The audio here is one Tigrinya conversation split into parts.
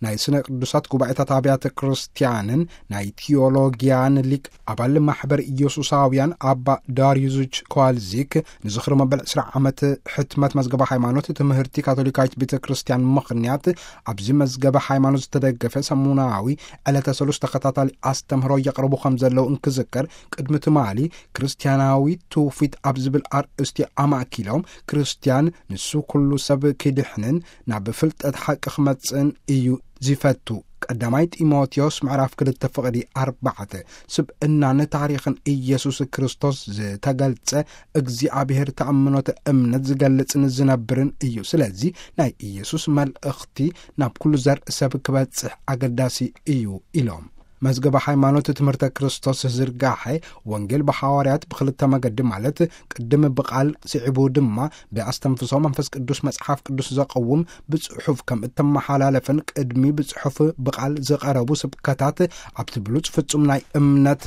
ናይ ስነ ቅዱሳት ጉባኤታት ኣብያተ ክርስቲያንን ናይ ቲዮሎጊያን ሊቅ ኣባል ማሕበር ኢየሱሳውያን ኣባ ዳርዩዝች ኮዋልዚክ ንዝኽሪ መበል ዕስራ ዓመት ሕትመት መዝገበ ሃይማኖት ትምህርቲ ካቶሊካዊት ቤተ ክርስቲያን ምኽንያት፣ ኣብዚ መዝገበ ሃይማኖት ዝተደገፈ ሰሙናዊ ዕለተ ሰሉስ ተኸታታሊ ኣስተምህሮ የቕርቡ ከም ዘለዉ እንክዝከር፣ ቅድሚ ትማሊ ክርስቲያናዊ ትውፊት ኣብ ዝብል ኣርእስቲ ኣማእኪሎም፣ ክርስቲያን ንሱ ኩሉ ሰብ ክድሕንን ናብ ፍልጠት ሓቂ ክመጽእን እዩ ዝፈቱ። ቀዳማይ ጢሞቴዎስ ምዕራፍ ክልተ ፍቕዲ ኣርባዕተ፣ ስብእናን ታሪኽን ኢየሱስ ክርስቶስ ዝተገልጸ እግዚኣብሔር ተኣምኖተ እምነት ዝገልጽን ዝነብርን እዩ። ስለዚ ናይ ኢየሱስ መልእኽቲ ናብ ኩሉ ዘርኢ ሰብ ክበጽሕ ኣገዳሲ እዩ ኢሎም። መዝገበ ሃይማኖት ትምህርተ ክርስቶስ ዝርጋሐ ወንጌል ብሃዋርያት ብክልተ መገዲ፣ ማለት ቅድም ብቓል፣ ስዒቡ ድማ ብኣስተንፍሶ መንፈስ ቅዱስ፣ መጽሓፍ ቅዱስ ዘቐውም ብጽሑፍ ከም እተመሓላለፈን ቅድሚ ብጽሑፍ ብቓል ዝቐረቡ ስብከታት ኣብቲ ብሉጽ ፍጹም ናይ እምነት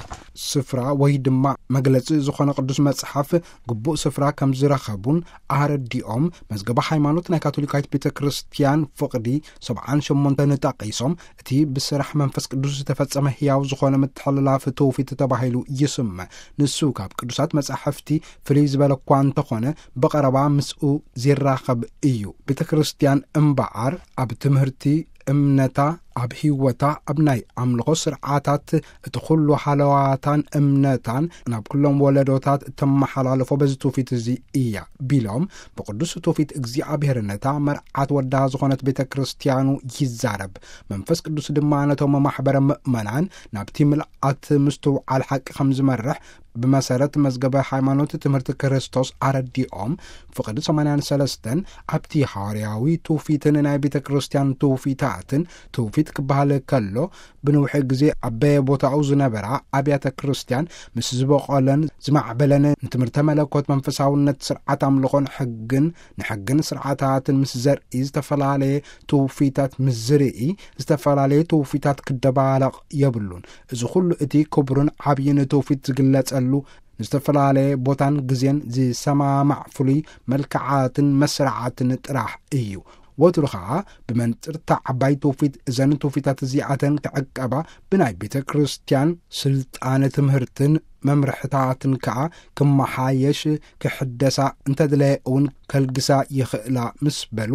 ስፍራ ወይ ድማ መግለጺ ዝኾነ ቅዱስ መጽሓፍ ግቡእ ስፍራ ከም ዝረኸቡን ኣረዲኦም። መዝገበ ሃይማኖት ናይ ካቶሊካዊት ቤተ ክርስቲያን ፍቕዲ ሰብዓን ሸሞንተን ጠቒሶም፣ እቲ ብስራሕ መንፈስ ቅዱስ ዝተፈጸመ ህያው ዝኾነ ምትሕልላፍ ትውፊት ተባሂሉ ይስመ። ንሱ ካብ ቅዱሳት መጻሕፍቲ ፍልይ ዝበለ እኳ እንተኾነ፣ ብቐረባ ምስኡ ዚራኸብ እዩ። ቤተ ክርስቲያን እምበኣር ኣብ ትምህርቲ እምነታ፣ ኣብ ህይወታ፣ ኣብ ናይ ኣምልኾ ስርዓታት፣ እቲ ኩሉ ሃለዋታን እምነታን ናብ ኩሎም ወለዶታት እተመሓላልፎ በዚ ትውፊት እዚ እያ ቢሎም፣ ብቅዱስ ትውፊት እግዚኣብሔር ነታ መርዓት ወዳ ዝኾነት ቤተ ክርስቲያኑ ይዛረብ። መንፈስ ቅዱስ ድማ ነቶም ማሕበረ ምእመናን ናብቲ ምልኣት ምስትውዓል ሓቂ ከም ዝመርሕ ብመሰረት መዝገበ ሃይማኖት ትምህርቲ ክርስቶስ ኣረዲኦም፣ ፍቕዲ ሰማንያን ሰለስተን ኣብቲ ሃዋርያዊ ትውፊትን ናይ ቤተ ክርስቲያን ትውፊታትን፣ ትውፊት ክበሃል ከሎ ብንውሒ ግዜ ኣብ በየቦታኡ ዝነበራ ኣብያተ ክርስቲያን ምስ ዝበቖለን ዝማዕበለን ንትምህርተ መለኮት መንፈሳውነት ስርዓት ኣምልኾን ሕግን ንሕግን ስርዓታትን ምስ ዘርኢ ዝተፈላለየ ትውፊታት ምስ ዝርኢ ዝተፈላለየ ትውፊታት ክደባለቕ የብሉን። እዚ ኩሉ እቲ ክቡርን ዓብይን ትውፊት ዝግለጸሉ ንዝተፈላለየ ቦታን ግዜን ዝሰማማዕ ፍሉይ መልክዓትን መስርዓትን ጥራሕ እዩ። ወትሩ ኸዓ ብመንጽርታ ዓባይ ትውፊት እዘን ትውፊታት እዚኣተን ክዕቀባ ብናይ ቤተ ክርስቲያን ስልጣነ ትምህርትን መምርሕታትን ከኣ ክመሓየሽ ክሕደሳ እንተድለየ እውን ከልግሳ ይኽእላ ምስ በሉ፣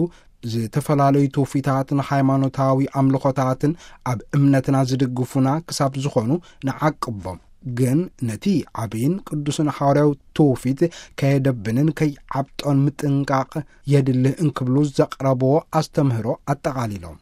ዝተፈላለዩ ትውፊታትን ሃይማኖታዊ ኣምልኾታትን ኣብ እምነትና ዝድግፉና ክሳብ ዝኾኑ ንዓቅቦም። ግን ነቲ ዓብይን ቅዱስን ሃዋርያዊ ትውፊት ከየደብንን ከይዓብጦን ምጥንቃቕ የድሊ እንክብሉ ዘቕረብዎ ኣስተምህሮ ኣጠቓሊሎም።